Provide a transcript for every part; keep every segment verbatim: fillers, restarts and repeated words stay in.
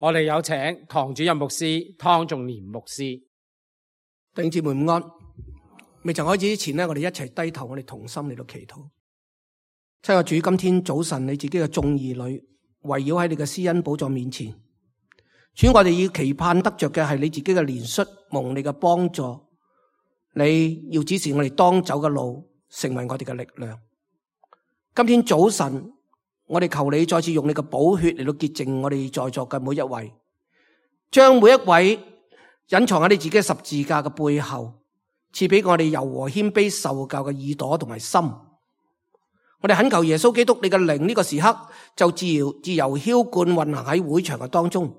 我哋有請唐主任牧師湯仲年牧師。弟兄姊妹午安。未曾開始之前呢，我哋一齊低頭，我哋同心嚟到祈禱。親愛主，今天早晨你自己嘅眾兒女圍繞喺你嘅施恩寶座面前，主，我哋要期盼得着嘅係你自己嘅憐恤，蒙你嘅幫助。你要指示我哋當走嘅路，成為我哋嘅力量。今天早晨，我哋求你再次用你嘅寶血嚟到潔淨我哋在座嘅每一位，將每一位隱藏喺你自己嘅十字架嘅背後，賜俾我哋柔和謙卑受教嘅耳朵同埋心。我哋懇求耶穌基督，你嘅靈呢個時刻就自由自由澆灌運行喺會場嘅當中，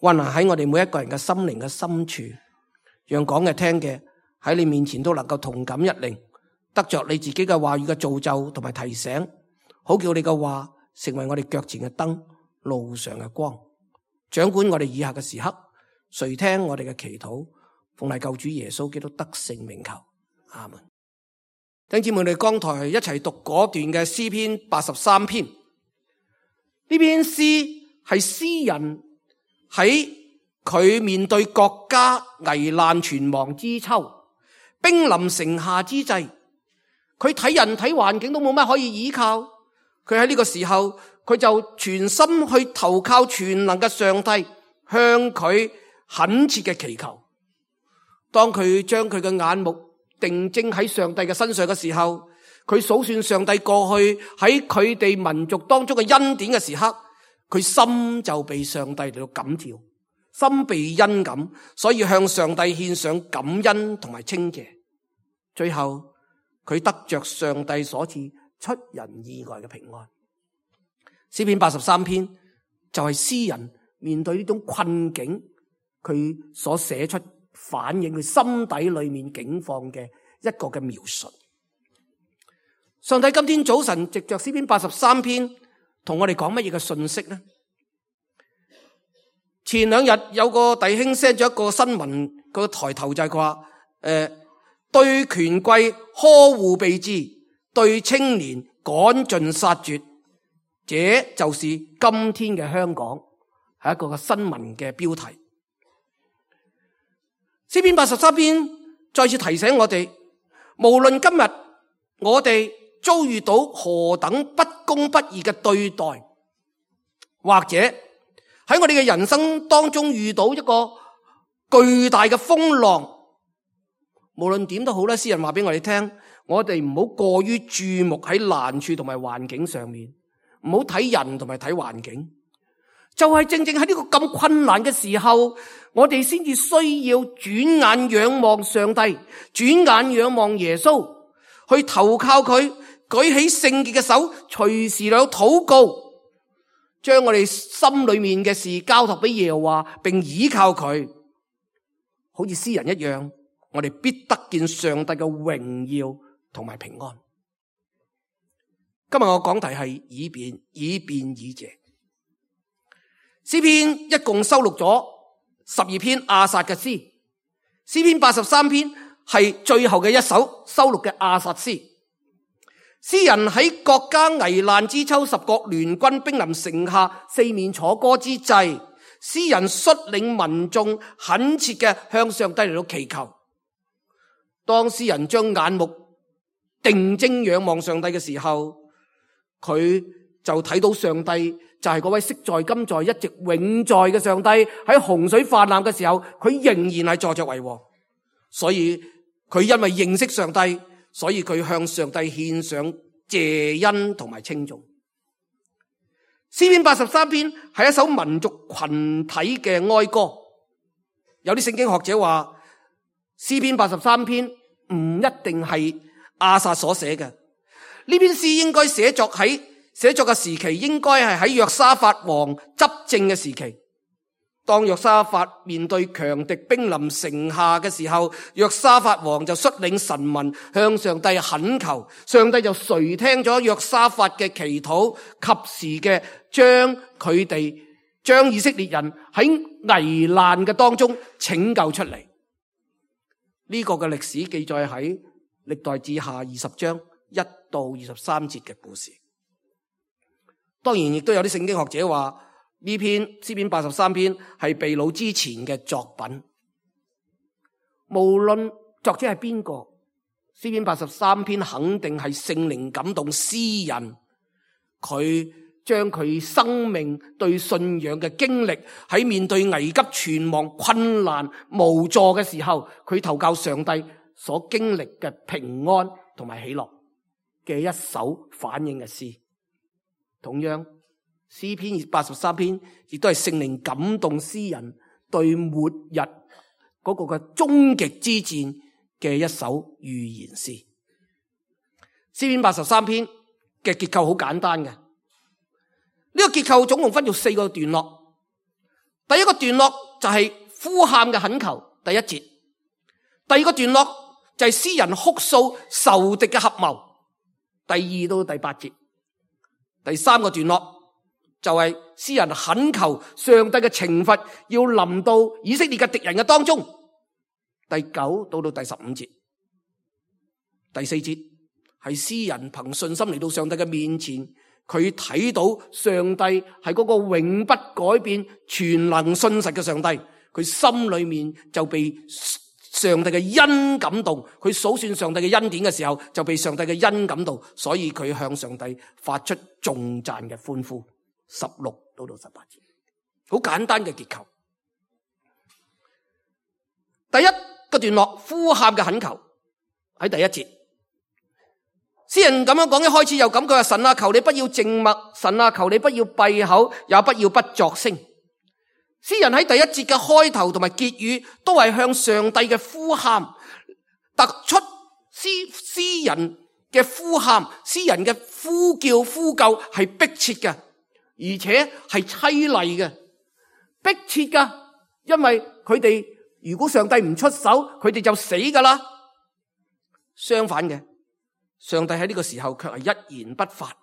運行喺我哋每一個人嘅心靈嘅深處，讓講嘅聽嘅喺你面前都能夠同感一靈，得着你自己嘅話語嘅造就同埋提醒，好叫你嘅話成為我哋腳前嘅燈，路上嘅光，掌管我哋以下嘅時刻。垂聽我哋嘅祈禱，奉係救主耶穌基督得勝名求，阿門。弟兄姊妹，我哋剛才一齊讀嗰段嘅詩篇八十三篇。呢篇詩係詩人喺佢面對國家危難存亡之秋，兵臨城下之際，佢睇人睇環境都冇乜可以依靠，佢喺呢個時候，佢就全心去投靠全能嘅上帝，向佢懇切嘅祈求。當佢將佢嘅眼目定睛喺上帝嘅身上嘅時候，佢數算上帝過去喺佢哋民族當中嘅恩典嘅時刻，佢心就被上帝嚟到感召，心被恩感，所以向上帝獻上感恩同埋稱謝。最後佢得着上帝所賜出人意外嘅平安。詩篇八十三篇就係詩人面對呢種困境，佢所寫出反映佢心底裏面境況嘅一個嘅描述。上帝今天早晨藉着詩篇八十三篇同我哋講乜嘢嘅信息呢？前兩日有個弟兄 send 咗一個新聞，個抬頭就係話，誒、呃，對權貴呵護備至，對青年趕盡殺絕，這就是今天嘅香港，係一個嘅新聞嘅標題。詩篇八十三篇再次提醒我哋，無論今日我哋遭遇到何等不公不義嘅對待，或者喺我哋嘅人生當中遇到一個巨大嘅風浪，無論點都好啦，詩人話俾我哋聽，我哋唔好過於注目喺難處同埋環境上面，唔好睇人同埋睇環境。就係正正喺呢個咁困難嘅時候，我哋先至需要轉眼仰望上帝，轉眼仰望耶穌，去投靠佢，舉起聖潔嘅手，隨時有禱告，將我哋心裏面嘅事交託俾耶和華，並倚靠佢，好似詩人一樣，我哋必得見上帝嘅榮耀同埋平安。今日我講題係以便，以便以謝。詩篇一共收錄咗十二篇亞薩嘅詩，詩篇八十三篇係最後嘅一首收錄嘅亞薩詩。詩人喺國家危難之秋，十國聯軍兵臨城下，四面楚歌之際，詩人率領民眾懇切嘅向上帝嚟到祈求。當詩人將眼目定睛仰望上帝嘅時候，佢就睇到上帝就係嗰位昔在今在一直永在嘅上帝。喺洪水泛濫嘅時候，佢仍然係坐着為王。所以佢因為認識上帝，所以佢向上帝獻上謝恩同埋稱頌。詩篇八十三篇係一首民族群體嘅哀歌。有啲聖經學者話，詩篇八十三篇唔一定係亞薩所寫嘅。呢篇詩應該寫作喺寫作嘅時期，應該係喺約沙法王執政嘅時期。當約沙法面對強敵兵臨城下嘅時候，約沙法王就率領臣民向上帝懇求，上帝就垂聽咗約沙法嘅祈禱，及時嘅將佢哋將以色列人喺危難嘅當中拯救出嚟。呢、這個嘅歷史記載喺歷代志下二十章一到二十三節嘅故事。當然亦都有啲聖經學者話，呢篇詩篇八十三篇係被擄之前嘅作品，無論作者係邊個，詩篇八十三篇肯定係聖靈感動詩人，佢將佢生命對信仰嘅經歷，喺面對危急存亡、困難無助嘅時候，佢投靠上帝所經歷嘅平安同埋喜樂嘅一首反映嘅詩。同樣詩篇八十三篇亦都係聖靈感動詩人對末日嗰個嘅終極之戰嘅一首預言詩。詩篇八十三篇嘅結構好簡單嘅，呢個結構總共分做四個段落。第一個段落就係呼喊嘅懇求，第一節；第二個段落就係詩人哭訴仇敵嘅合謀，第二到第八節；第三個段落就係詩人懇求上帝嘅懲罰要臨到以色列嘅敵人嘅當中，第九到到第十五節。第四節係詩人憑信心嚟到上帝嘅面前，佢睇到上帝係嗰個永不改變、全能信實嘅上帝，佢心裏面就被上帝嘅恩感動，佢數算上帝嘅恩典嘅時候就被上帝嘅恩感動，所以佢向上帝發出頌讚嘅歡呼。十六到到十八節，好簡單嘅結構。第一個段落呼喊嘅懇求喺第一節，詩人咁樣講，一開始又咁，佢話神啊，求你不要靜默，神啊，求你不要閉口，也不要不作聲。詩人喺第一節嘅開頭同埋結語都係向上帝嘅呼喊，突出詩詩人嘅呼喊，詩人嘅呼叫呼救係迫切嘅，而且係淒厲嘅，迫切噶，因為佢哋如果上帝唔出手，佢哋就死噶啦。相反嘅，上帝喺呢個時候卻係一言不發，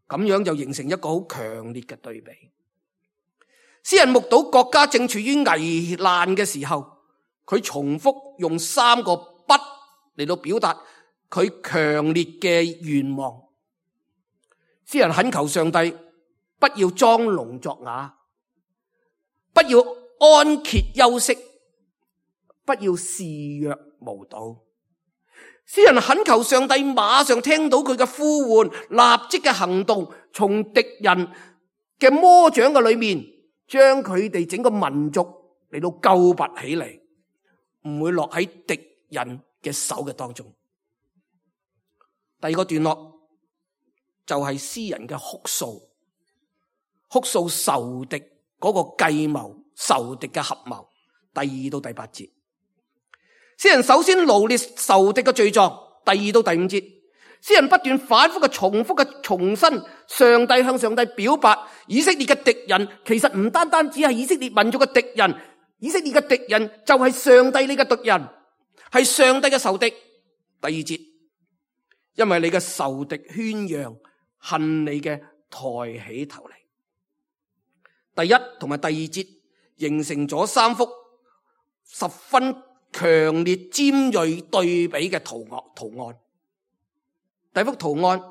咁樣就形成一個好強烈嘅對比。詩人目睹國家正處於危難嘅時候，佢重複用三個不嚟到表達佢強烈嘅願望。詩人懇求上帝不要裝聾作啞，不要安歇休息，不要視若無睹。詩人懇求上帝馬上聽到佢嘅呼喚，立即嘅行動，從敵人嘅魔掌嘅裏面將佢哋整個民族嚟到救拔起嚟，唔會落喺敵人嘅手嘅當中。第二個段落就係詩人嘅哭訴，哭訴仇敵嗰個計謀，仇敵嘅合謀。第二到第八節，詩人首先羅列仇敵嘅罪狀。第二到第五節，詩人不斷反覆嘅重複嘅重申，上帝向上帝表白，以色列嘅敵人其實唔單單只係以色列民族嘅敵人，以色列嘅敵人就係上帝你嘅敵人，係上帝嘅仇敵。第二節，因為你嘅仇敵喧嚷，恨你嘅抬起頭嚟。第一同埋第二節形成咗三幅十分強烈尖銳對比嘅圖案。圖案第一幅圖案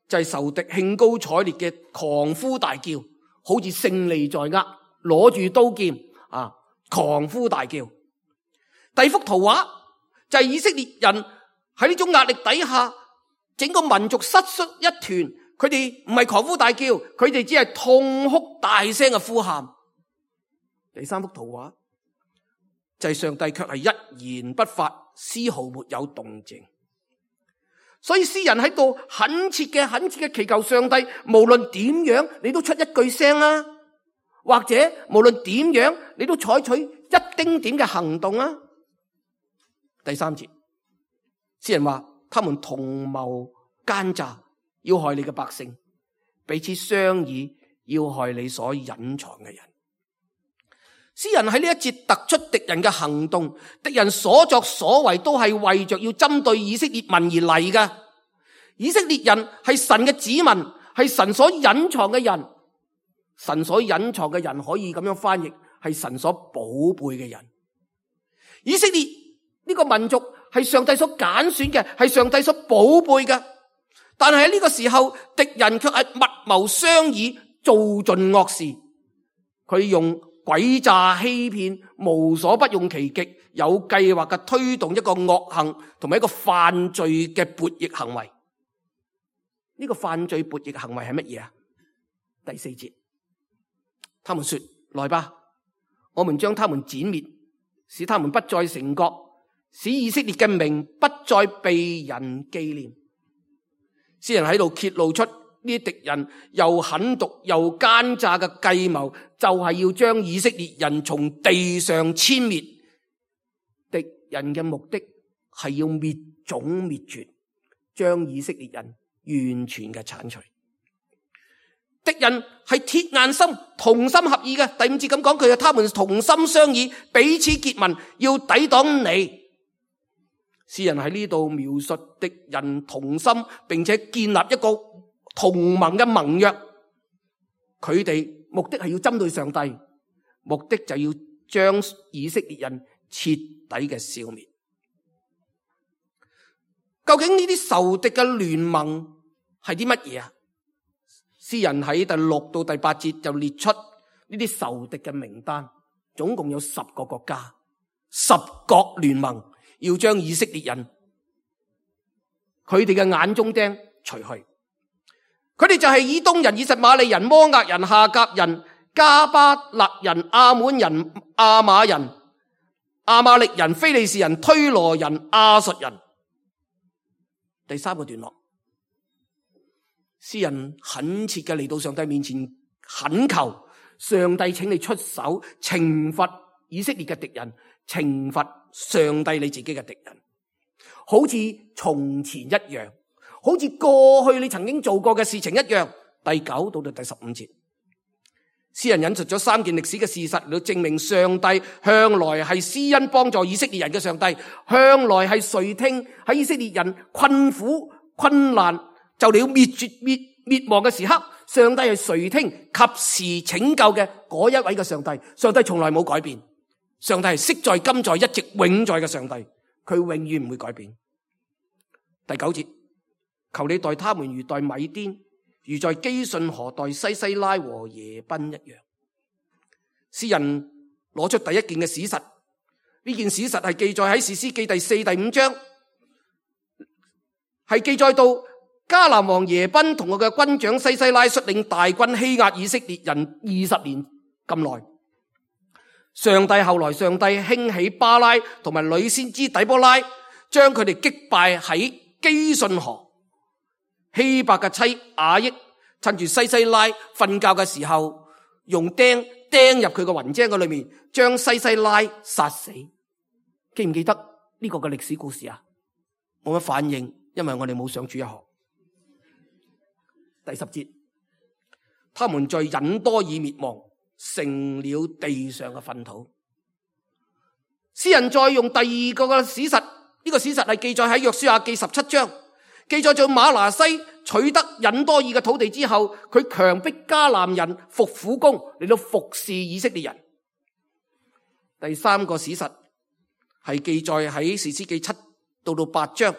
就係仇敵興高采烈嘅狂呼大叫，好似勝利在握，攞住刀劍啊，狂呼大叫。第二幅圖畫就係以色列人喺呢種壓力底下，整個民族失縮一團，佢哋唔係狂呼大叫，佢哋只係痛哭大聲嘅呼喊。第三幅圖畫就係上帝卻係一言不發，絲毫沒有動靜。所以詩人喺度懇切嘅懇切嘅祈求上帝，無論點樣你都出一句聲啊，或者無論點樣你都採取一丁點嘅行動啊。第三節，詩人話他們同謀奸詐，要害你嘅百姓，彼此商議，要害你所隱藏嘅人。詩人喺呢一節突出敵人嘅行動，敵人所作所為都係為着要針對以色列民而嚟嘅。以色列人係神嘅子民，係神所隱藏嘅人。神所隱藏嘅人可以咁樣翻譯，係神所寶貝嘅人。以色列呢個民族係上帝所揀選嘅，係上帝所寶貝嘅。但係喺呢個時候，敵人卻係密謀商議，做盡惡事，佢用詭詐欺騙，無所不用其極，有計劃嘅推動一個惡行同埋一個犯罪嘅悖逆行為。呢個犯罪悖逆行為係乜嘢啊？第四節，他們說：來吧，我們將他們剪滅，使他們不再成國，使以色列嘅名不再被人紀念。詩人喺度揭露出呢啲敵人又狠毒又奸詐嘅計謀，就係要將以色列人從地上殲滅。敵人嘅目的係要滅種滅絕，將以色列人完全嘅鏟除。敵人係鐵硬心，同心合意嘅。第五節咁講，佢係他們同心相議，彼此結盟，要抵擋你。詩人喺呢度描述敵人同心，並且建立一個同盟嘅盟約。佢哋目的係要針對上帝，目的就要將以色列人徹底嘅消滅。究竟呢啲仇敵嘅聯盟係啲乜嘢啊？詩人喺第六到第八節就列出呢啲仇敵嘅名單，總共有十個國家，十國聯盟，要將以色列人佢哋嘅眼中釘除去。佢哋就係以東人、以實瑪利人、摩押人、夏甲人、加巴勒人、亞滿人、亞瑪人、亞瑪力人、非利士人、推羅人、亞述人。第三個段落，詩人懇切嘅嚟到上帝面前懇求上帝，請你出手懲罰以色列嘅敵人，懲罰上帝你自己嘅敵人，好似從前一樣，好似過去你曾經做過嘅事情一樣。第九到到第十五節，詩人引述咗三件歷史嘅事實嚟到證明上帝向來係施恩幫助以色列人嘅上帝，向來係垂聽喺以色列人困苦困難就嚟要滅絕滅滅亡嘅時刻，上帝係垂聽及時拯救嘅嗰一位嘅上帝。上帝從來冇改變，上帝係昔在今在一直永在嘅上帝，佢永遠唔會改變。第九節，求你待他們如待米甸，如在基順河待西西拉和耶賓一樣。詩人攞出第一件嘅史實，呢件史實係記載喺士師記第四、第五章，係記載到迦南王耶賓同佢嘅軍長西西拉率領大軍欺壓以色列人二十年咁耐。上帝後來上帝興起巴拉同埋女先知底波拉，將佢哋擊敗喺基順河。希伯嘅妻雅億趁住西西拉瞓覺嘅時候，用釘釘入佢個雲遮嗰裏面，將西西拉殺死。記唔記得呢個嘅歷史故事啊？冇乜反應，因為我哋冇上主日學。第十節，他們在隱多珥滅亡，成了地上嘅糞土。詩人再用第二個嘅史實，呢、這個史實係記載喺約書亞記十七章，記載咗馬拿西取得隱多珥嘅土地之後，佢強迫迦南人服苦工嚟到服侍以色列人。第三個史實係記載喺士師記七到到八章，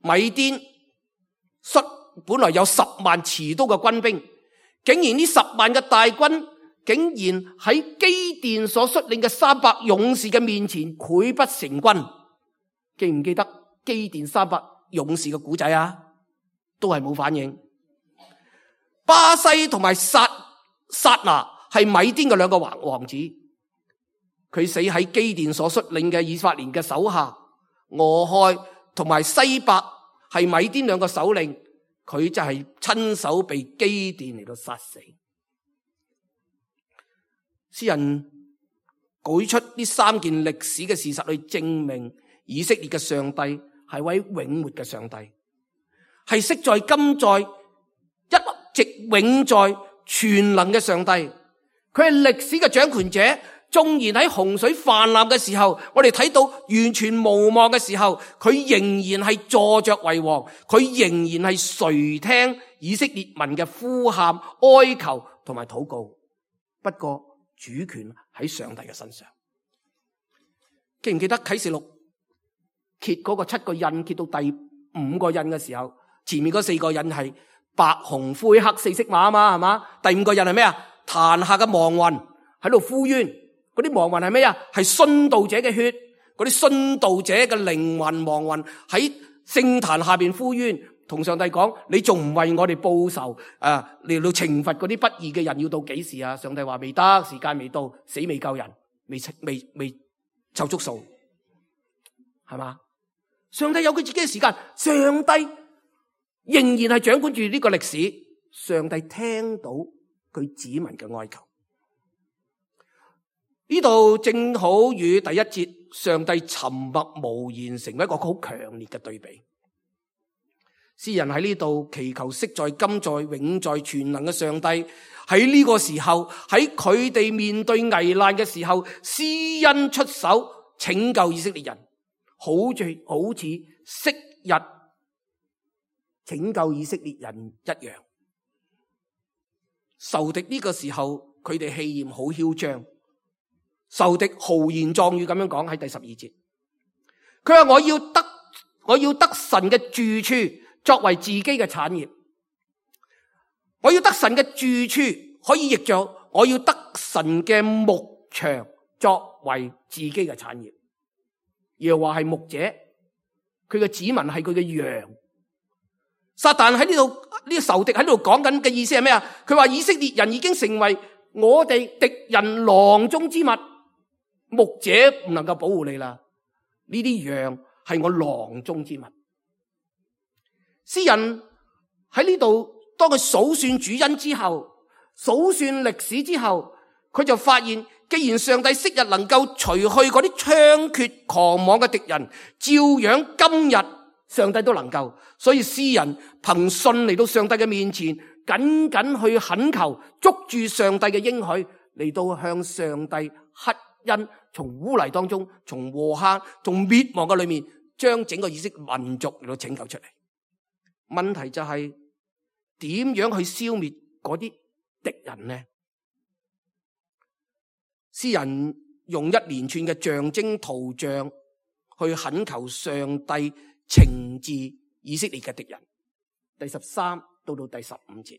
米甸率本來有十萬持刀嘅軍兵，竟然呢十萬嘅大軍竟然喺基甸所率領嘅三百勇士嘅面前潰不成軍。記唔記得基甸三百勇士嘅古仔啊？都係冇反應。巴西同埋撒撒拿係米甸嘅兩個王王子，佢死喺基甸所率領嘅以法蓮嘅手下。俄亥同埋西伯係米甸兩個首領，佢就係親手被基甸嚟到殺死。詩人舉出呢三件歷史嘅事實去證明以色列嘅上帝係位永活嘅上帝，係昔在今在一直永在全能嘅上帝。佢係歷史嘅掌權者，縱然喺洪水泛濫嘅時候，我哋睇到完全無望嘅時候，佢仍然係坐着為王，佢仍然係垂聽以色列民嘅呼喊、哀求同埋禱告。不過主權喺上帝嘅身上。記唔記得啟示錄揭嗰個七個印揭到第五個印嘅時候，前面嗰四個印係白紅灰黑四色馬啊嘛，係嘛？第五個印係咩啊？壇下嘅亡魂喺度呼冤，嗰啲亡魂係咩啊？係殉道者嘅血，嗰啲殉道者嘅靈魂亡魂喺聖壇下邊呼冤，同上帝講：你仲唔為我哋報仇啊？嚟到懲罰嗰啲不義嘅人，要到幾時啊？上帝話未得，時間未到，死未救人，未未未湊足數，係嘛？上帝有佢自己嘅時間，上帝仍然係掌管住呢個歷史，上帝聽到佢子民嘅哀求。呢度正好與第一節上帝沉默無言成為一個好強烈嘅對比。詩人喺呢度祈求昔在、今在、永在、全能嘅上帝喺呢個時候，喺佢哋面對危難嘅時候，施恩出手拯救以色列人，好似好似昔日拯救以色列人一樣。仇敵呢個時候佢哋氣焰好囂張，仇敵豪言壯語咁樣講喺第十二節，佢話我要得我要得神嘅住處作為自己嘅產業，我要得神嘅住處，可以譯作我要得神嘅牧場作為自己嘅產業。耶和華係牧者，佢嘅子民係佢嘅羊。撒旦喺呢度呢個仇敵喺度講緊嘅意思係咩啊？佢話以色列人已經成為我哋敵人囊中之物，牧者唔能夠保護你啦，呢啲羊係我囊中之物。詩人喺呢度當佢數算主恩之後，數算歷史之後，佢就發現既然上帝昔日能夠除去嗰啲猖獗狂妄嘅敵人，照樣今日上帝都能夠。所以詩人憑信嚟到上帝嘅面前，緊緊去懇求，捉住上帝嘅應許，嚟到向上帝乞恩，從污泥當中，從禍坑，從滅亡嘅裏面，將整個以色列民族嚟到拯救出嚟。問題就係點樣去消滅嗰啲敵人呢？詩人用一連串嘅象徵圖像去懇求上帝懲治以色列嘅敵人。第十三到到第十五節，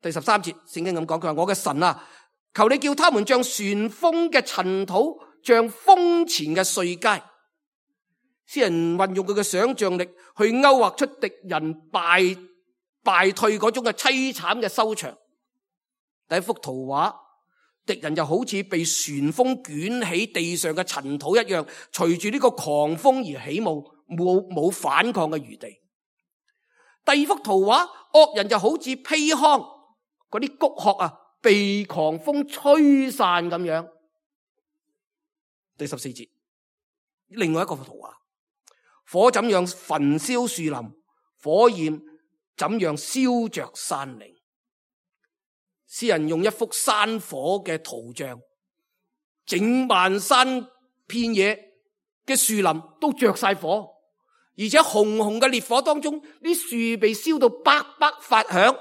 第十三節聖經咁講，佢話我嘅神啊，求你叫他們像旋風嘅塵土，像風前嘅碎秸。詩人運用佢嘅想象力去勾畫出敵人敗敗退嗰種嘅淒慘嘅收場。第一幅圖畫，敵人就好似被旋風捲起地上嘅塵土一樣，隨住呢個狂風而起舞，冇冇反抗嘅餘地。第二幅圖畫，惡人就好似披糠嗰啲穀殼啊，被狂風吹散咁樣。第十四節，另外一個圖畫，火怎樣焚燒樹林，火焰怎樣燒着山嶺。詩人用一幅山火嘅圖像，整萬山遍野嘅樹林都着晒火，而且紅紅嘅烈火當中，啲樹被燒到叭叭發響，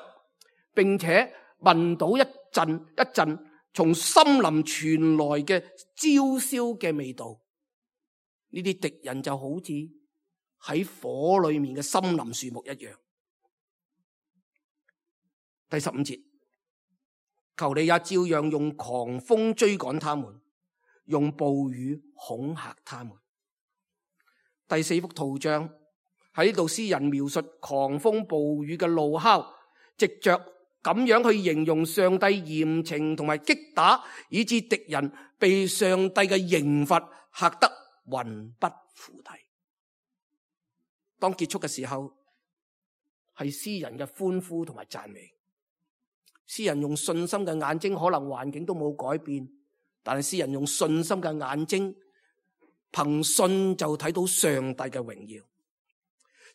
並且聞到一陣一陣從森林傳來嘅焦燒嘅味道。呢啲敵人就好似喺火裏面嘅森林樹木一樣。第十五節，求你也照樣用狂風追趕他們，用暴雨恐嚇他們。第四幅圖像喺呢度，詩人描述狂風暴雨嘅怒哮，藉着咁樣去形容上帝嚴懲同埋擊打，以致敵人被上帝嘅刑罰嚇得魂不附體。當結束嘅時候，係詩人嘅歡呼同埋讚美。詩人用信心嘅眼睛，可能環境都冇改變，但係詩人用信心嘅眼睛，憑信就睇到上帝嘅榮耀。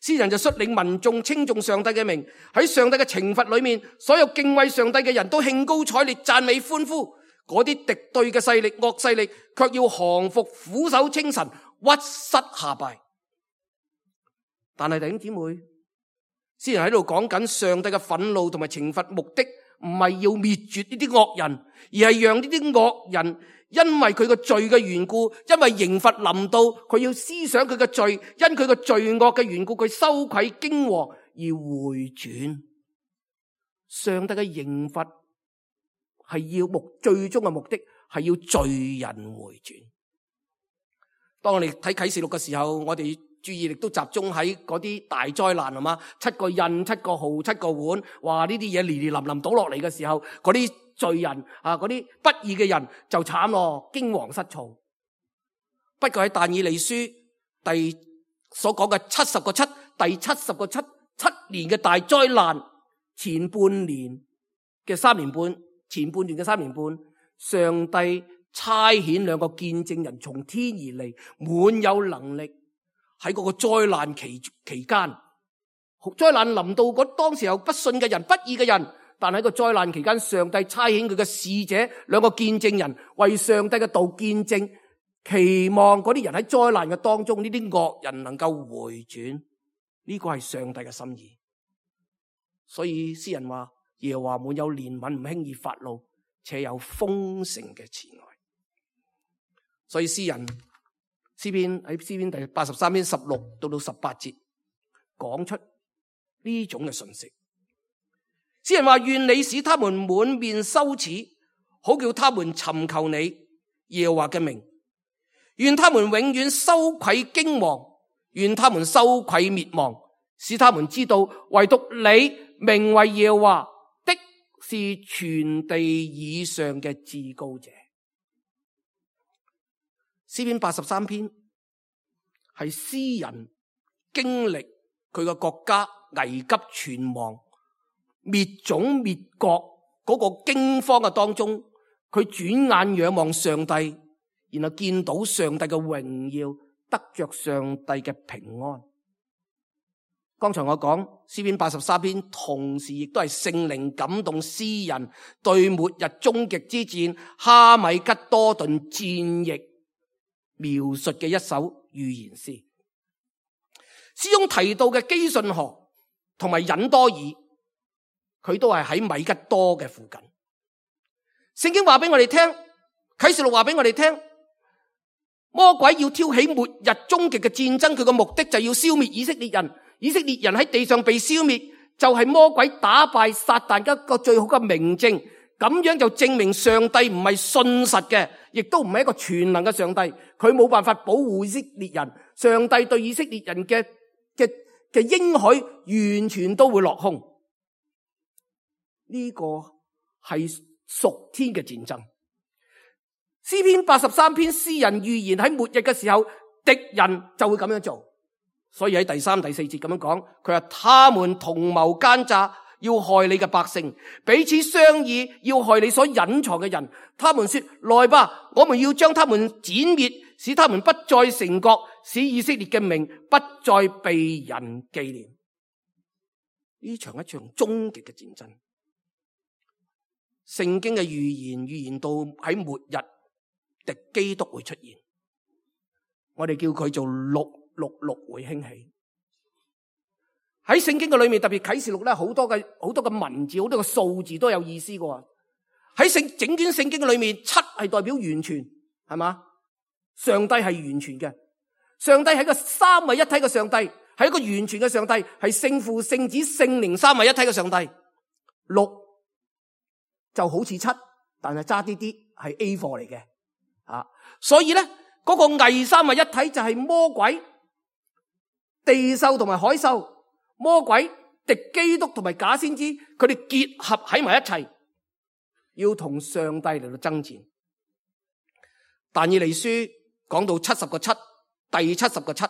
詩人就率領民眾稱頌上帝嘅名，喺上帝嘅懲罰裏面，所有敬畏上帝嘅人都興高采烈讚美歡呼。嗰啲敵對嘅勢力、惡勢力卻要降服，俯首稱臣，屈膝下拜。但係弟兄姊妹，詩人喺度講緊上帝嘅憤怒同埋懲罰目的，唔係要滅絕呢啲惡人，而係讓呢啲惡人因為佢個罪嘅緣故，因為刑罰臨到，佢要思想佢嘅罪，因佢個罪惡嘅緣故，佢羞愧驚惶而回轉。上帝嘅刑罰係要目最終嘅目的係要罪人回轉。當我哋睇啟示錄嘅時候，我哋注意力都集中喺嗰啲大災難，係嘛？七個印、七個號、七個碗，哇！呢啲嘢連連淋淋倒落嚟嘅時候，嗰啲罪人啊，嗰啲不義嘅人就慘咯，驚惶失措。不過喺但以理書第所講嘅七十個七，第七十個七七年嘅大災難，前半年嘅三年半，前半年嘅三年半，上帝差遣兩個見證人從天而嚟，滿有能力喺嗰個災難期期間，災難臨到嗰當時候不信嘅人、不義嘅人，但喺個災難期間，上帝差遣佢嘅使者兩個見證人為上帝嘅道見證，期望嗰啲人喺災難嘅當中，呢啲惡人能夠回轉，呢個係上帝嘅心意。所以詩人話：耶和華滿有憐憫，唔輕易發怒，且有豐盛嘅慈愛。所以詩人詩篇喺詩篇第八十三篇十六到到十八節講出呢種嘅信息。詩人話：願你使他們滿面羞恥，好叫他們尋求你耶和華嘅名。願他們永遠羞愧驚惶，願他們羞愧滅亡，使他們知道唯獨你名為耶和華的是全地以上嘅至高者。詩篇八十三篇係詩人經歷佢個國家危急存亡、滅種滅國嗰個驚慌嘅當中，佢轉眼仰望上帝，然後見到上帝嘅榮耀，得着上帝嘅平安。剛才我講詩篇八十三篇，同時亦都係聖靈感動詩人對末日終極之戰哈米吉多頓戰役描述嘅一首預言詩。詩中提到嘅基順河同埋隱多爾，佢都係喺米吉多嘅附近。聖經話俾我哋聽，啟示錄話俾我哋聽，魔鬼要挑起末日終極嘅戰爭，佢嘅目的就係要消滅以色列人。以色列人喺地上被消滅，就係魔鬼打敗撒旦一個最好嘅明證。咁樣就證明上帝唔係信實嘅，亦都唔係一個全能嘅上帝，佢冇辦法保護以色列人。上帝對以色列人嘅嘅嘅應許完全都會落空。呢個係屬天嘅戰爭。詩篇八十三篇詩人預言喺末日嘅時候，敵人就會咁樣做。所以喺第三、第四節咁樣講，佢話他們同謀奸詐，要害你嘅百姓，彼此商議，要害你所隱藏嘅人。他們說：來吧，我們要將他們剪滅，使他們不再成國，使以色列嘅名不再被人紀念。呢場一場終極嘅戰爭。聖經嘅預言預言到喺末日敵基督會出現，我哋叫佢做六六六會興起。喺聖經嘅裏面，特別啟示錄咧，好多嘅好多嘅文字，好多嘅數字都有意思嘅。喺聖整卷聖經嘅裏面，七係代表完全，係嘛？上帝係完全嘅，上帝係個三位一體嘅上帝，係一個完全嘅上帝，係聖父、聖子、聖靈三位一體嘅上帝。六就好似七，但係差啲啲係 A 貨嚟嘅啊！所以咧，嗰個偽三位一體就係魔鬼、地獸同埋海獸，魔鬼、敵基督同埋假先知，佢哋結合喺埋一齊，要同上帝嚟到爭戰。但以理書講到七十個七，第七十個七，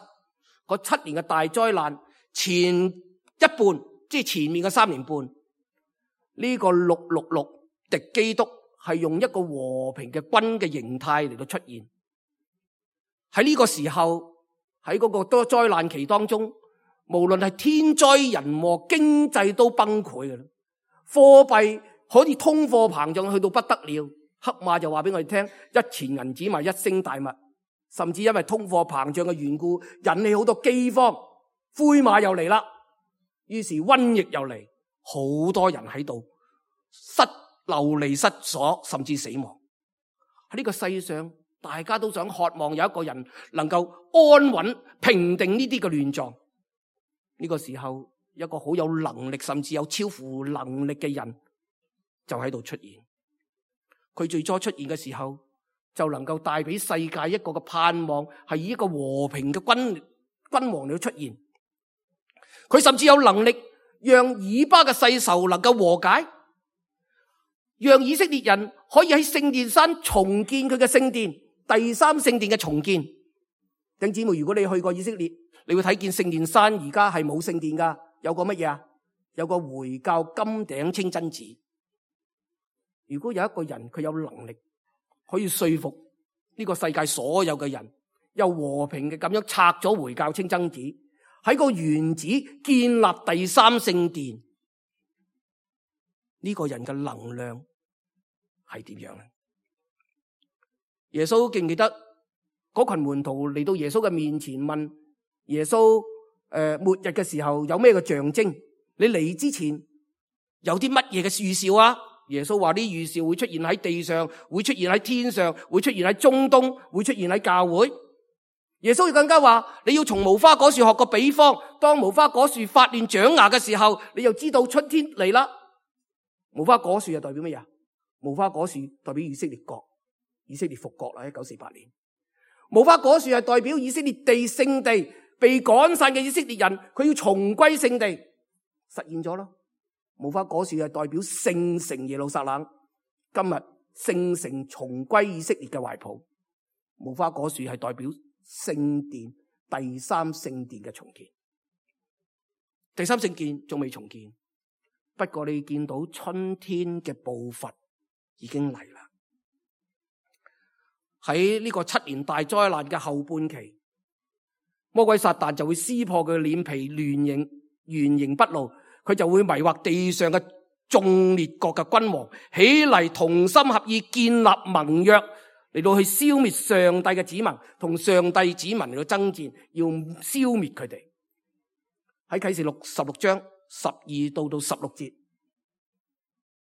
嗰七年嘅大災難前一半，即係前面嘅三年半，呢個六六六。敵基督係用一個和平嘅軍嘅形態嚟到出現。喺呢個時候，喺嗰個多災難期當中，無論係天災人禍，經濟都崩潰嘅啦。貨幣可以通貨膨脹去到不得了。黑馬就話俾我哋聽，一錢銀子賣一升大麥，甚至因為通貨膨脹嘅緣故，引起好多饑荒。灰馬又嚟啦，於是瘟疫又嚟，好多人喺度失流離失所，甚至死亡。喺呢個世上，大家都想渴望有一個人能夠安穩平定呢啲嘅亂狀。呢個時候，一個好有能力，甚至有超乎能力嘅人就喺度出現。佢最初出現嘅時候，就能夠帶俾世界一個嘅盼望，係以一個和平嘅君君王嚟出現。佢甚至有能力讓以巴嘅世仇能夠和解，讓以色列人可以喺聖殿山重建佢嘅聖殿，第三聖殿嘅重建。弟兄姊妹，如果你去過以色列，你會睇見聖殿山而家係冇聖殿噶，有個乜嘢啊？有個回教金頂清真寺。如果有一個人佢有能力可以說服呢個世界所有嘅人，又和平嘅咁樣拆咗回教清真寺，喺個原址建立第三聖殿，呢個人嘅能量係點樣呢？耶穌記唔記得嗰群門徒嚟到耶穌嘅面前問耶穌，誒、呃，末日嘅時候有咩嘅象徵？你嚟之前有啲乜嘢嘅預兆啊？耶穌話啲預兆會出現喺地上，會出現喺天上，會出現喺中東，會出現喺教會。耶穌更加話，你要從無花果樹學個比方，當無花果樹發亂長芽嘅時候，你就知道春天嚟啦。無花果樹係代表乜嘢？無花果樹代表以色列國，以色列復國啦，一九四八年。無花果樹係代表以色列地聖地，被趕散嘅以色列人，佢要重歸聖地，實現咗咯。無花果樹係代表聖城耶路撒冷，今日聖城重歸以色列嘅懷抱。無花果樹係代表聖殿，第三聖殿嘅重建。第三聖殿仲未重建，不過你見到春天嘅步伐已經嚟啦。喺呢個七年大災難嘅後半期，魔鬼撒旦就會撕破佢嘅臉皮，亂形原形不露。佢就會迷惑地上嘅眾列國嘅君王，起嚟同心合意建立盟約，嚟到去消滅上帝嘅子民，同上帝子民嚟到爭戰，要消滅佢哋。喺啟示錄十六章十二到到十六節，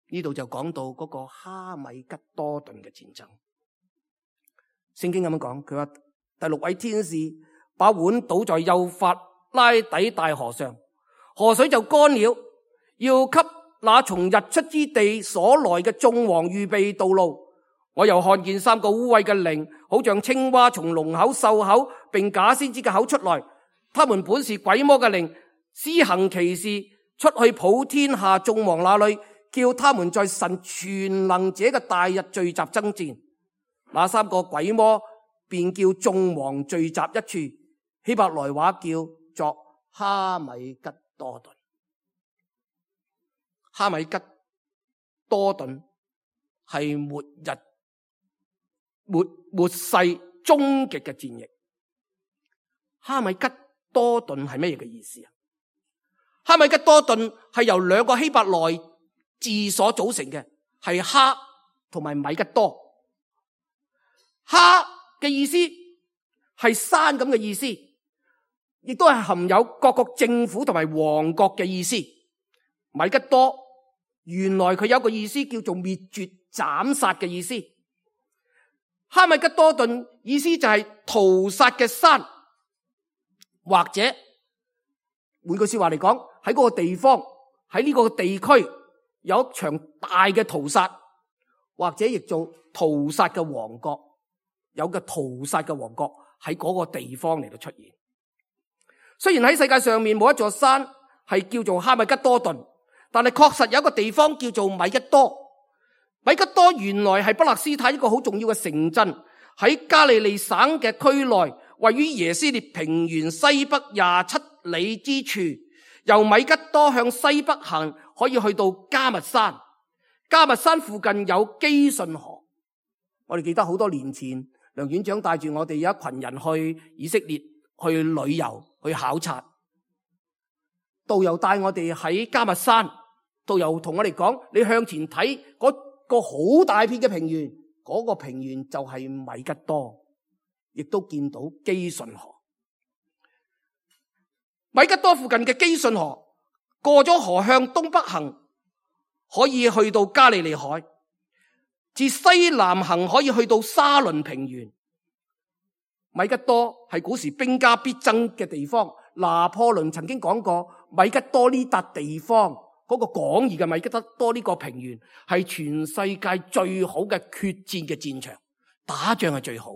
呢度就講到嗰個哈米吉多頓嘅戰爭。聖經咁樣講，佢話第六位天使把碗倒在幼發拉底大河上，河水就乾了，要給那從日出之地所來嘅眾王預備道路。我又看見三個污穢嘅靈，好像青蛙從龍口、獸口並假先知嘅口出來。他們本是鬼魔嘅靈，施行奇事，出去普天下眾王那裏，叫他們在神全能者嘅大日聚集爭戰。那三個鬼魔便叫眾王聚集一處，希伯來話叫作哈米吉多頓。哈米吉多頓係末日末末世終極嘅戰役。哈米吉多頓係咩嘢嘅意思啊？哈米吉多頓係由兩個希伯來字所組成嘅，係哈同埋米吉多。哈嘅意思係山咁嘅意思，亦都係含有各國政府同埋王國嘅意思。米吉多原來佢有一個意思叫做滅絕斬殺嘅意思。哈米吉多頓意思就係屠殺嘅山，或者換句說話嚟講，喺嗰個地方，喺呢個地區有一場大嘅屠殺，或者亦做屠殺嘅王國，有個屠殺嘅王國喺嗰個地方嚟到出現。雖然喺世界上面冇一座山係叫做哈米吉多頓，但係確實有一個地方叫做米吉多。米吉多原來係巴勒斯坦一個好重要嘅城鎮，喺加利利省嘅區內，位於耶斯列平原西北廿七里之處。由米吉多向西北行，可以去到迦密山。迦密山附近有基順河。我哋記得好多年前，梁院長帶住我哋有一群人去以色列去旅遊去考察，導遊帶我哋喺迦密山，導遊同我哋講，你向前睇嗰個好大片嘅平原，嗰個平原就係米吉多，亦都見到基順河。米吉多附近嘅基順河，過咗河向東北行，可以去到加利利海；自西南行可以去到沙倫平原。米吉多係古時兵家必爭嘅地方。拿破崙曾經講過，米吉多呢笪地方嗰個廣義嘅米吉多呢個平原係全世界最好嘅決戰嘅戰場，打仗係最好。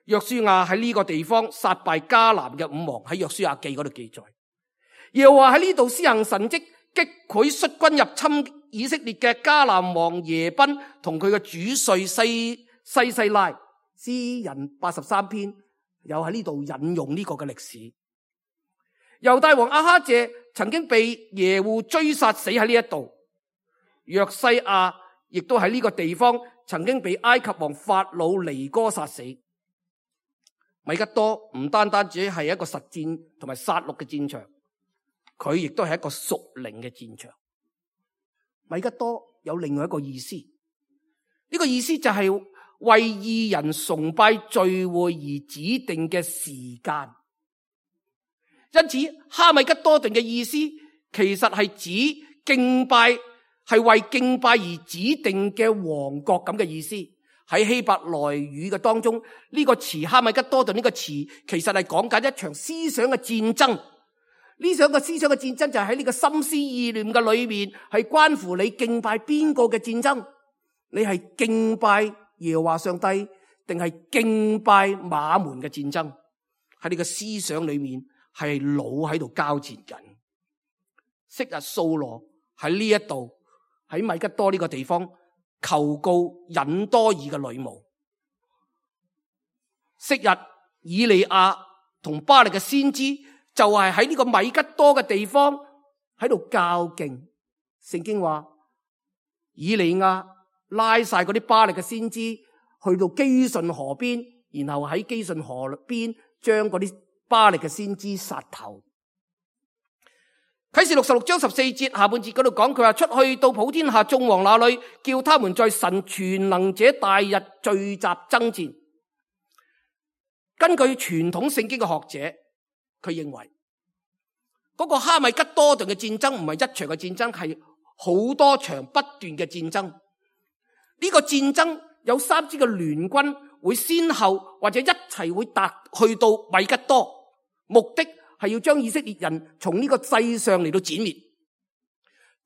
約書亞喺呢個地方殺敗迦南嘅五王，喺約書亞記嗰度記載。又話喺呢度施行神蹟，擊潰率軍入侵以色列嘅迦南王耶賓同佢嘅主帥西西西拉。詩人八十三篇又喺呢度引用呢個嘅歷史。猶大王亞哈謝曾經被耶戶追殺死喺呢一度。約西亞亦都喺呢個地方曾經被埃及王法老尼哥殺死。米吉多唔單單只係一個實戰同埋殺戮嘅戰場，佢亦都係一個屬靈嘅戰場。米吉多有另外一個意思，呢個意思就係為義人崇拜聚會而指定嘅時間。因此哈米吉多頓嘅意思其實係指敬拜，係為敬拜而指定嘅王國咁嘅意思。喺希伯來語嘅當中，呢個詞哈米吉多頓呢個詞其實係講緊一場思想嘅戰爭。呢場嘅思想嘅戰爭就係喺呢個心思意念嘅裏面，係關乎你敬拜邊個嘅戰爭。你係敬拜耶和華上帝，定係敬拜馬門嘅戰爭？喺你嘅思想裏面係腦喺度交戰緊。昔日掃羅喺呢一度喺米吉多呢個地方求告隱多爾嘅女巫。昔日以利亞同巴力嘅先知就係喺呢個米吉多嘅地方喺度較勁。聖經話以利亞拉晒嗰啲巴力嘅先知去到基順河邊，然後喺基順河邊將嗰啲巴力嘅先知殺頭。啟示錄十六章十四節下半節嗰度講，佢話出去到普天下眾王那裏，叫他們在神全能者大日聚集爭戰。根據傳統聖經嘅學者，佢認為嗰個哈米吉多頓嘅戰爭唔係一場嘅戰爭，係好多場不斷嘅戰爭。呢個戰爭有三支嘅聯軍會先後或者一齊會達去到米吉多，目的係要將以色列人從呢個世上嚟到剿滅。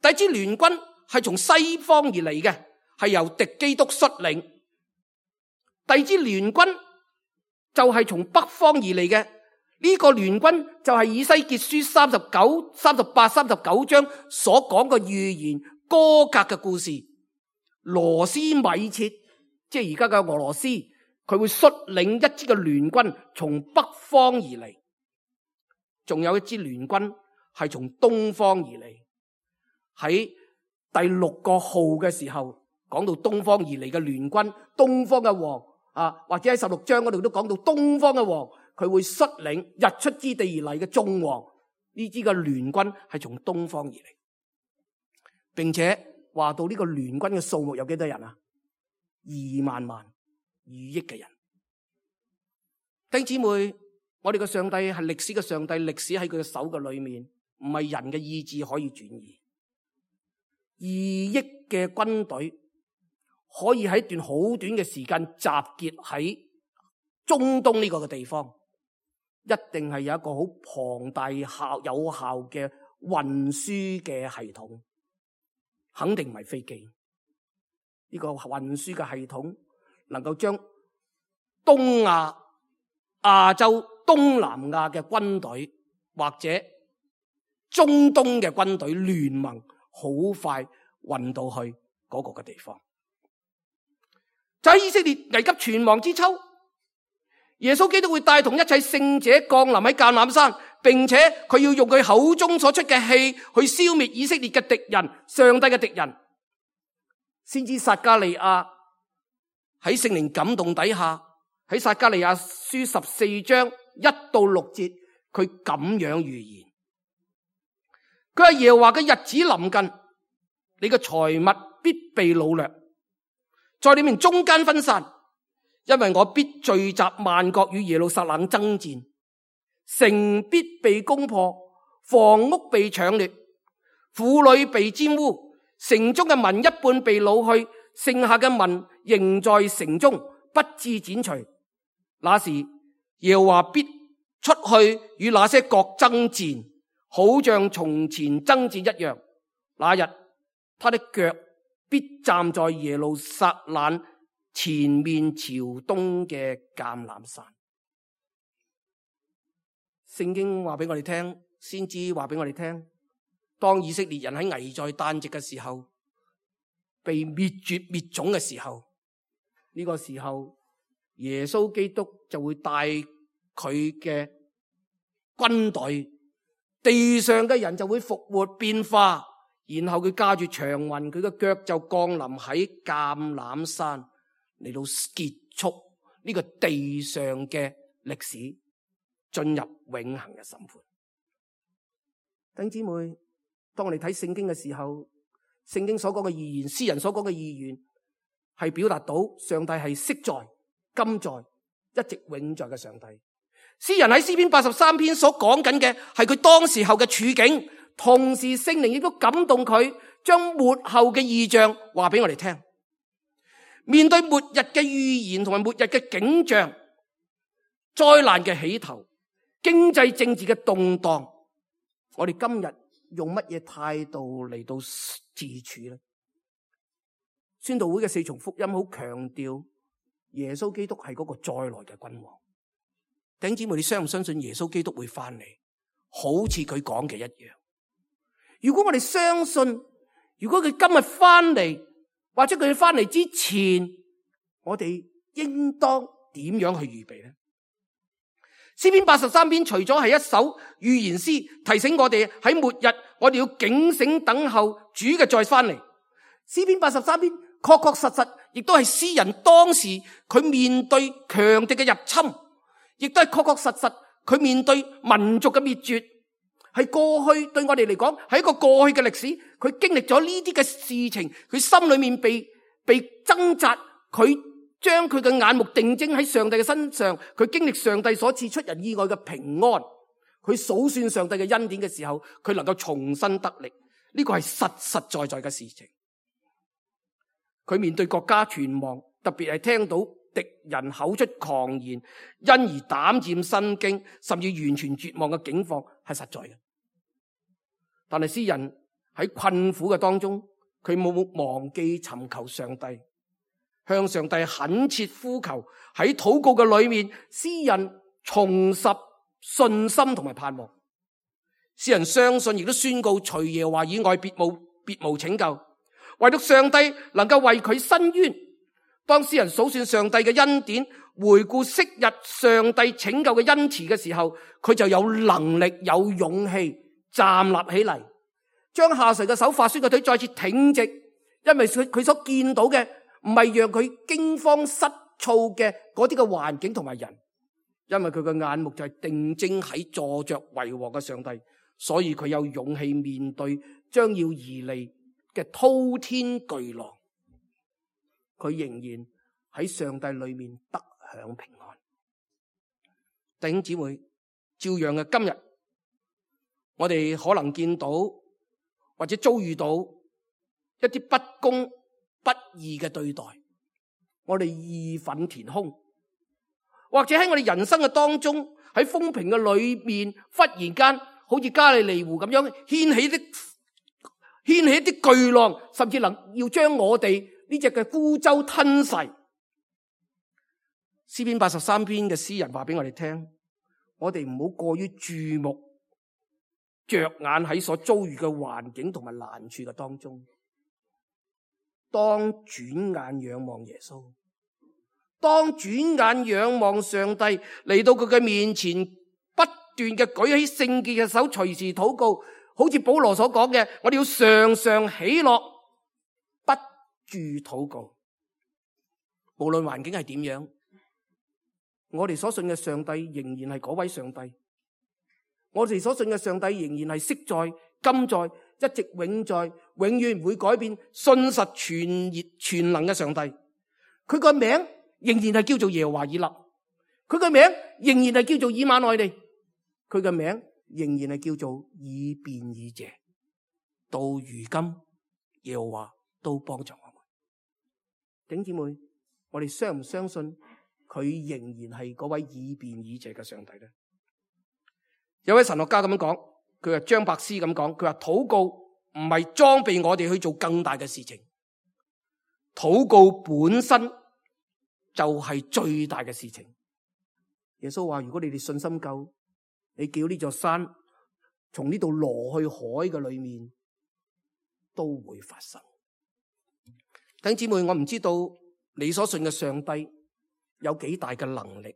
第一支聯軍係從西方而嚟嘅，係由敵基督率領。第二支聯軍就係從北方而嚟嘅，呢個聯軍就係以西結書三十九、三十八、三十九章所講嘅預言歌革嘅故事。羅斯米設，即係而家嘅俄羅斯，佢會率領一支嘅聯軍從北方而嚟。仲有一支聯軍係從東方而嚟。喺第六個號嘅時候講到東方而嚟嘅聯軍，東方嘅王啊，或者喺十六章嗰度都講到東方嘅王，佢會率領日出之地而嚟嘅眾王。呢支嘅聯軍係從東方而嚟，並且話到呢個聯軍嘅數目有幾多人啊？二萬萬、二億嘅人。弟兄姊妹，我哋嘅上帝係歷史嘅上帝，歷史喺佢嘅手嘅裏面，唔係人嘅意志可以轉移。二億嘅軍隊可以喺一段好短嘅時間集結喺中東呢個嘅地方，一定係有一個好龐大效有效嘅運輸嘅系統，肯定唔係飛機。呢個運輸嘅系統能夠將東亞、亞洲、東南亞嘅軍隊或者中東嘅軍隊聯盟，好快運到去嗰個嘅地方。就喺以色列危急存亡之秋，耶穌基督會帶同一切聖者降臨喺橄欖山，並且佢要用佢口中所出嘅氣去消滅以色列嘅敵人，上帝嘅敵人。先知撒迦利亞喺聖靈感動底下，喺撒迦利亞書十四章一到六節，佢咁樣預言。佢話耶和華嘅日子臨近，你嘅財物必被擄掠，在你們中間分散，因為我必聚集萬國與耶路撒冷爭戰，城必被攻破，房屋被搶掠，婦女被玷污，城中嘅民一半被擄去，剩下嘅民仍在城中，不致剪除。那時耶和華必出去與那些國爭戰，好像從前爭戰一樣。那日他的腳必站在耶路撒冷前面朝東嘅橄欖山。聖經話俾我哋聽，先知話俾我哋聽，當以色列人喺危在旦夕嘅時候，被滅絕滅種嘅時候，呢個時候耶穌基督就會帶佢嘅軍隊，地上嘅人就會復活變化，然後佢駕住長雲，佢嘅腳就降臨喺橄欖山，嚟到結束呢個地上嘅歷史，進入永恆嘅審判。弟兄姊妹，當我哋睇聖經嘅時候，聖經所講嘅預言，詩人所講嘅預言，係表達到上帝係昔在、今在、一直永在嘅上帝。詩人喺詩篇八十三篇所講緊嘅係佢當時候嘅處境，同時聖靈亦都感動佢，將末後嘅異象話俾我哋聽。面對末日嘅預言同埋末日嘅景象，災難嘅起頭，經濟政治嘅動盪，我哋今日用乜嘢態度嚟到自處呢？宣道會嘅四重福音好強調耶穌基督係嗰個再來嘅君王。弟兄姊妹，你相唔相信耶穌基督會翻嚟？好似佢講嘅一樣。如果我哋相信，如果佢今日翻嚟，或者佢翻嚟之前，我哋應當點樣去預備呢？詩篇八十三篇除咗係一首預言詩，提醒我哋喺末日我哋要警醒等候主嘅再翻嚟。詩篇八十三篇確確實實亦都係詩人當時佢面對強敵嘅入侵，亦都係確確實實佢面對民族嘅滅絕，係過去對我哋嚟講係一個過去嘅歷史。佢經歷咗呢啲嘅事情，佢心裏面被被掙扎，佢將佢嘅眼目定睛喺上帝嘅身上，佢經歷上帝所賜出人意外嘅平安，佢數算上帝嘅恩典嘅時候，佢能夠重新得力，呢個係實實在在嘅事情。佢面對國家存亡，特別係聽到敵人口出狂言，因而膽戰心驚，甚至完全絕望嘅境況係實在嘅。但係詩人喺困苦嘅當中，佢冇忘記尋求上帝，向上帝懇切呼求。喺禱告嘅裏面，詩人重拾信心同埋盼望。詩人相信，亦都宣告除耶和華以外別無別無拯救，唯獨上帝能夠為佢伸冤。當詩人數算上帝嘅恩典，回顧昔日上帝拯救嘅恩慈嘅時候，佢就有能力有勇氣站立起嚟，將下垂嘅手、發酸嘅腿再次挺直，因為佢佢所見到嘅唔係讓佢驚慌失措嘅嗰啲嘅環境同埋人，因為佢嘅眼目就係定睛喺坐着為王嘅上帝，所以佢有勇氣面對將要而嚟嘅滔天巨浪，佢仍然喺上帝裏面得享平安。弟兄姊妹，照樣嘅今日，我哋可能見到或者遭遇到一啲不公不義嘅對待，我哋義憤填胸，或者喺我哋人生嘅當中，喺風平嘅裏面，忽然間好似加利利湖咁樣掀起啲掀起啲巨浪，甚至能要將我哋呢隻嘅孤舟吞噬。詩篇八十三篇嘅詩人話俾我哋聽，我哋唔好過於注目着眼喺所遭遇嘅環境同埋難處嘅當中，當轉眼仰望耶穌，當轉眼仰望上帝，嚟到佢嘅面前，不斷嘅舉起聖潔嘅手，隨時禱告。好似保羅所講嘅，我哋要常常喜樂，不住禱告。無論環境係點樣，我哋所信嘅上帝仍然係嗰位上帝。我哋所信嘅上帝仍然係昔在、今在、一直永在、永遠唔會改變、信實全熱全能嘅上帝。佢個名仍然係叫做耶和華以勒，佢個名仍然係叫做以馬內利，佢個名仍然係叫做以便以謝。到如今，耶和華都幫助我們。弟兄姊妹，我哋相唔相信佢仍然係嗰位以便以謝嘅上帝呢？有位神學家咁樣講，佢話張伯斯咁講，佢話禱告唔係裝備我哋去做更大嘅事情，禱告本身就係最大嘅事情。耶穌話：如果你哋信心夠，你叫呢座山從呢度挪去海嘅裏面，都會發生。弟兄姊妹，我唔知道你所信嘅上帝有幾大嘅能力。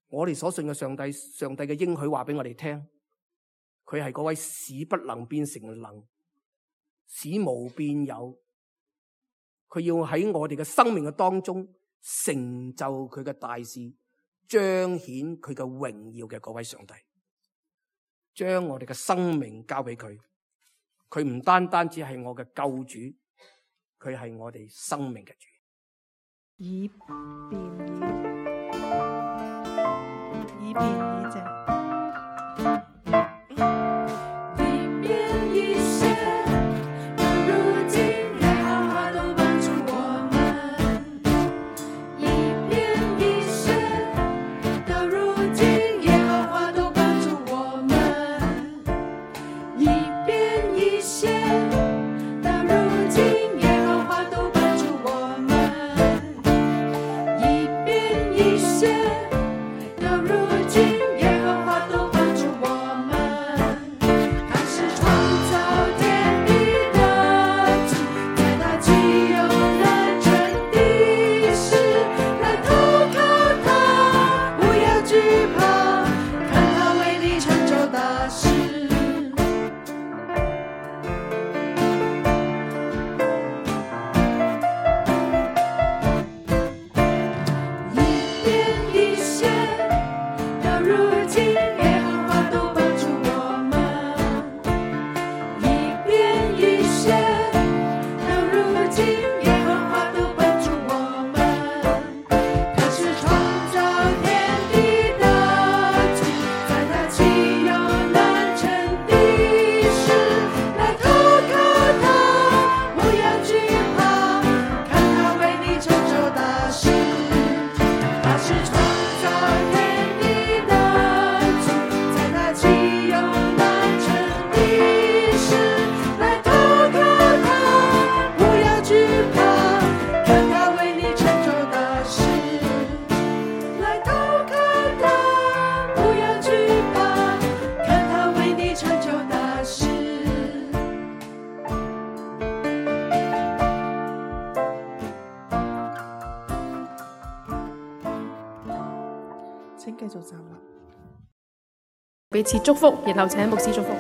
我哋所信嘅上帝，上帝嘅應許話俾我哋聽，佢係嗰位使不能變成能，使無變有。佢要喺我哋嘅生命嘅當中成就佢嘅大事，彰顯佢嘅榮耀嘅嗰位上帝，將我哋嘅生命交俾佢。佢唔單單只係我嘅救主，佢係我哋生命嘅主。以便以以便以謝。請繼續站立，彼此祝福，然後請牧師祝福。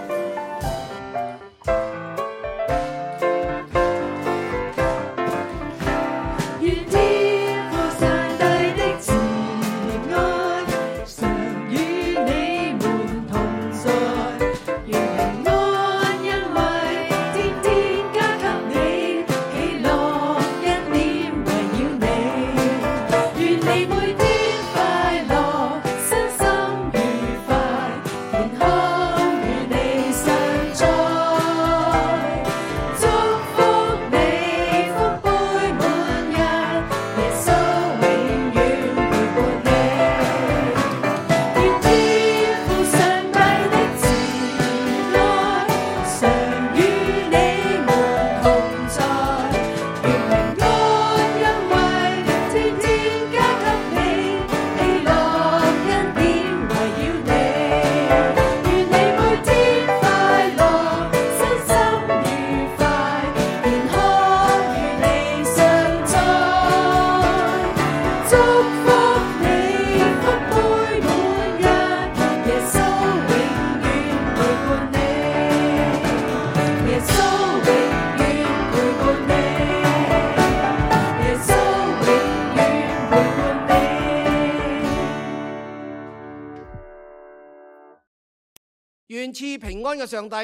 願賜平安嘅上帝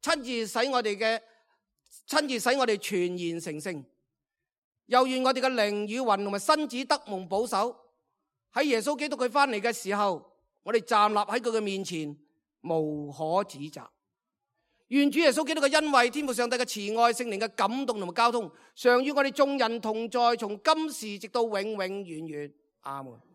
親自使我哋嘅親自使我哋全然成聖，又願我哋嘅靈與魂同埋身子得蒙保守，喺耶穌基督佢翻嚟嘅時候，我哋站立喺佢嘅面前無可指責。願主耶穌基督嘅恩惠、天父上帝嘅慈愛、聖靈嘅感動同埋交通，常與我哋眾人同在，從今時直到永永遠遠。阿門。